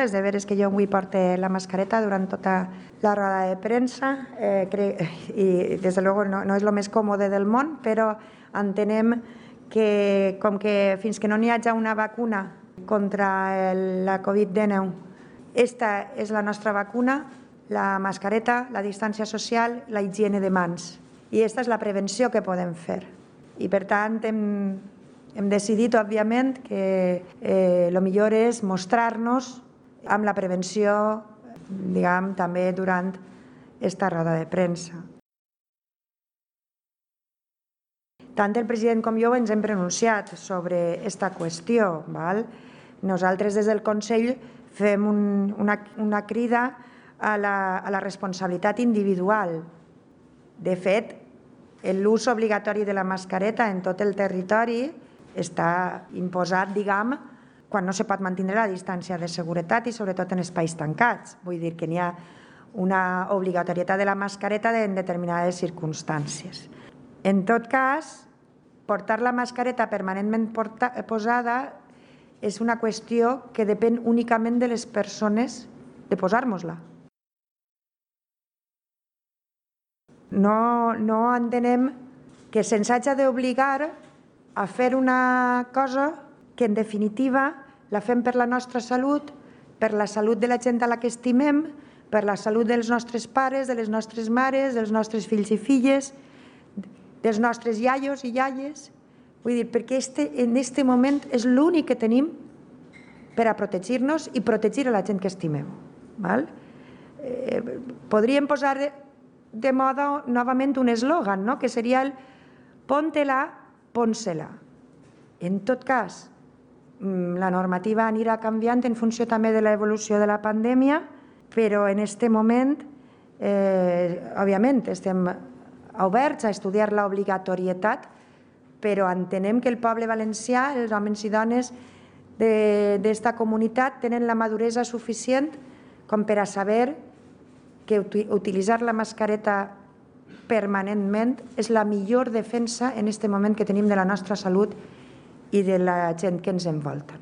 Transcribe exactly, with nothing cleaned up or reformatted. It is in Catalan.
És de veres que jo avui porto la mascareta durant tota la roda de premsa eh, i des de luego no, no és el més còmode del món, però entenem que com que fins que no n'hi hagi una vacuna contra el, la Covid dinou, esta és la nostra vacuna, la mascareta, la distància social, la higiene de mans. I aquesta és la prevenció que podem fer. I per tant hem, hem decidit, òbviament, que eh, el millor és mostrar-nos amb la prevenció, diguem, també durant aquesta roda de premsa. Tant el president com jo ens hem pronunciat sobre aquesta qüestió. Val? Nosaltres des del Consell fem un, una, una crida a la, a la responsabilitat individual. De fet, l'ús obligatori de la mascareta en tot el territori està imposat, diguem, quan no se pot mantenir la distància de seguretat i sobretot en espais tancats. Vull dir que n'hi ha una obligatorietat de la mascareta en determinades circumstàncies. En tot cas, portar la mascareta permanentment posada és una qüestió que depèn únicament de les persones de posar-nos-la. No, no entenem que se'ns hagi d'obligar a fer una cosa que en definitiva la fem per la nostra salut, per la salut de la gent a la que estimem, per la salut dels nostres pares, de les nostres mares, dels nostres fills i filles, dels nostres iaios i iaies. Vull dir, perquè este, en aquest moment és l'únic que tenim per a protegir-nos i protegir a la gent que estimem. Val? Eh, podríem posar de, de moda novament un eslògan, no? Que seria el pon-te-la, pon-se-la. En tot cas, la normativa anirà canviant en funció també de l'evolució de la pandèmia, però en aquest moment, eh, òbviament, estem oberts a estudiar l'obligatorietat, però entenem que el poble valencià, els homes i dones d'esta comunitat, tenen la maduresa suficient com per a saber que utilitzar la mascareta permanentment és la millor defensa en aquest moment que tenim de la nostra salut i de la gent que ens envolta.